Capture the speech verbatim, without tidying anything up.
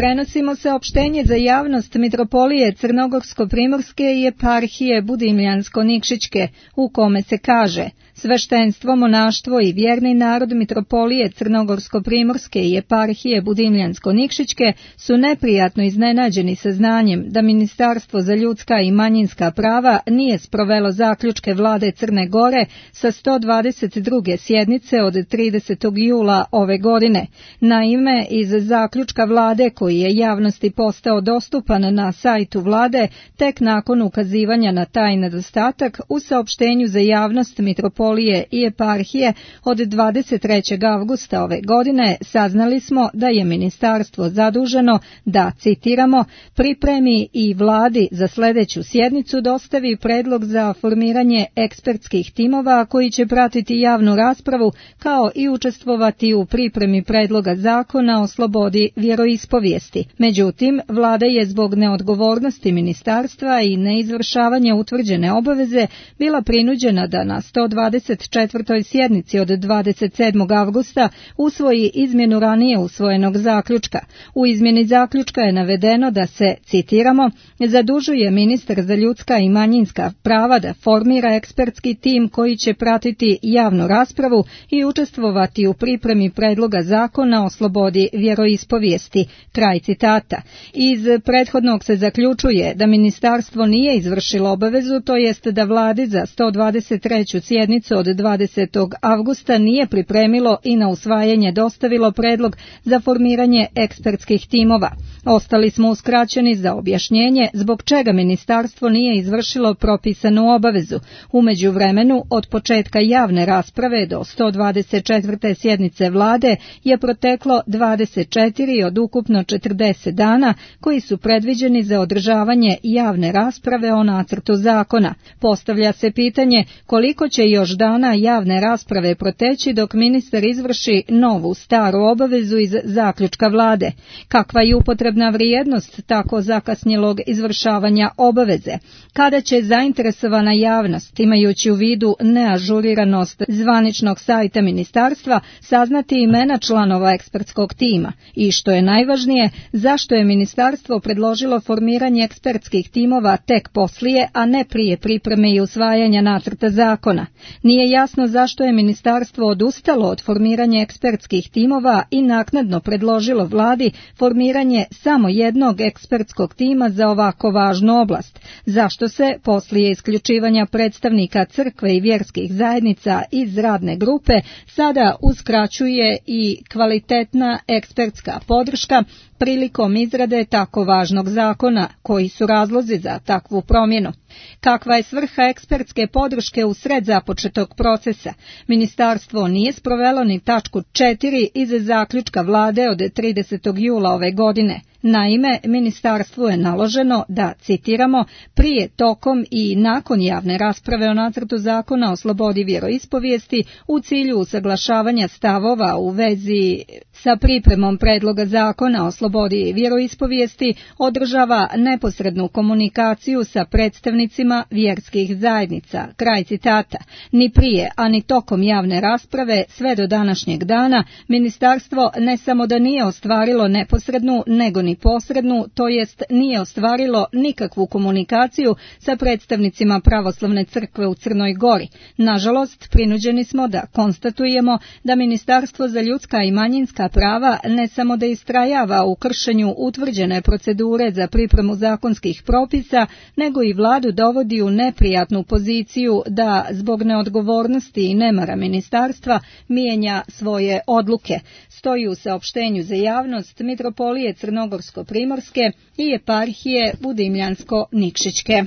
Prenosimo saopštenje za javnost Mitropolije Crnogorsko-primorske i Eparhije Budimljansko-Nikšićke, u kome se kaže: sveštenstvo, monaštvo i vjerni narod Mitropolije Crnogorsko-primorske i Eparhije Budimljansko-Nikšićke su neprijatno iznenađeni saznanjem da Ministarstvo za ljudska i manjinska prava nije sprovelo zaključke vlade Crne Gore sa sto dvadeset druge sjednice od tridesetog jula ove godine. Naime, iz zaključka vlade koji je javnosti postao dostupan na sajtu vlade tek nakon ukazivanja na taj nedostatak, u saopštenju za javnost Mitropolije i Eparhije od dvadeset trećeg avgusta ove godine saznali smo da je ministarstvo zaduženo da, citiramo, pripremi i vladi za sljedeću sjednicu dostavi predlog za formiranje ekspertskih timova koji će pratiti javnu raspravu kao i učestvovati u pripremi predloga zakona o slobodi vjeroispovijesti. Međutim, vlada je zbog neodgovornosti ministarstva i neizvršavanja utvrđene obaveze bila prinuđena da na sto dvadeset četvrtoj sjednici od dvadeset sedmog avgusta usvoji izmjenu ranije usvojenog zaključka. U izmjeni zaključka je navedeno da se, citiramo, zadužuje ministar za ljudska i manjinska prava da formira ekspertski tim koji će pratiti javnu raspravu i učestvovati u pripremi predloga zakona o slobodi vjeroispovijesti. Kraj citata. Iz prethodnog se zaključuje da ministarstvo nije izvršilo obavezu, to jest da vladi za sto dvadeset treću sjednicu od dvadesetog avgusta nije pripremilo i na usvajanje dostavilo predlog za formiranje ekspertskih timova. Ostali smo uskraćeni za objašnjenje zbog čega ministarstvo nije izvršilo propisanu obavezu. U međuvremenu, od početka javne rasprave do sto dvadeset četvrte sjednice vlade je proteklo dvadeset četiri od ukupno četrdeset dana koji su predviđeni za održavanje javne rasprave o nacrtu zakona. Postavlja se pitanje koliko će još dana javne rasprave proteći dok ministar izvrši novu staru obavezu iz zaključka vlade. Kakva je upotrebna vrijednost tako zakasnjelog izvršavanja obaveze? Kada će zainteresovana javnost, imajući u vidu neažuriranost zvaničnog sajta ministarstva, saznati imena članova ekspertskog tima? I što je najvažnije, zašto je ministarstvo predložilo formiranje ekspertskih timova tek poslije, a ne prije pripreme i usvajanja nacrta zakona? Nije jasno zašto je ministarstvo odustalo od formiranja ekspertskih timova i naknadno predložilo vladi formiranje samo jednog ekspertskog tima za ovako važnu oblast. Zašto se, poslije isključivanja predstavnika crkve i vjerskih zajednica iz radne grupe, sada uskraćuje i kvalitetna ekspertska podrška prilikom izrade tako važnog zakona? Koji su razlozi za takvu promjenu? Kakva je svrha ekspertske podrške u sred započetog procesa? Ministarstvo nije sprovelo ni tačku četiri iz zaključka vlade od tridesetog jula ove godine. Naime, ministarstvu je naloženo da, citiramo, prije, tokom i nakon javne rasprave o nacrtu zakona o slobodi vjeroispovijesti u cilju usaglašavanja stavova u vezi sa pripremom predloga zakona o slobodi vjeroispovijesti održava neposrednu komunikaciju sa predstavnicima vjerskih zajednica. Kraj citata. Ni prije, a ni tokom javne rasprave sve do današnjeg dana ministarstvo ne samo da nije ostvarilo neposrednu, nego ni posrednu, to jest nije ostvarilo nikakvu komunikaciju sa predstavnicima pravoslavne crkve u Crnoj Gori. Nažalost, prinuđeni smo da konstatujemo da Ministarstvo za ljudska i manjinska prava ne samo da istrajava u kršenju utvrđene procedure za pripremu zakonskih propisa, nego i vladu dovodi u neprijatnu poziciju da zbog neodgovornosti i nemara ministarstva mijenja svoje odluke. Stoji u saopštenju za javnost Mitropolije Crnogorsko-primorske i Eparhije Budimljansko-Nikšićke.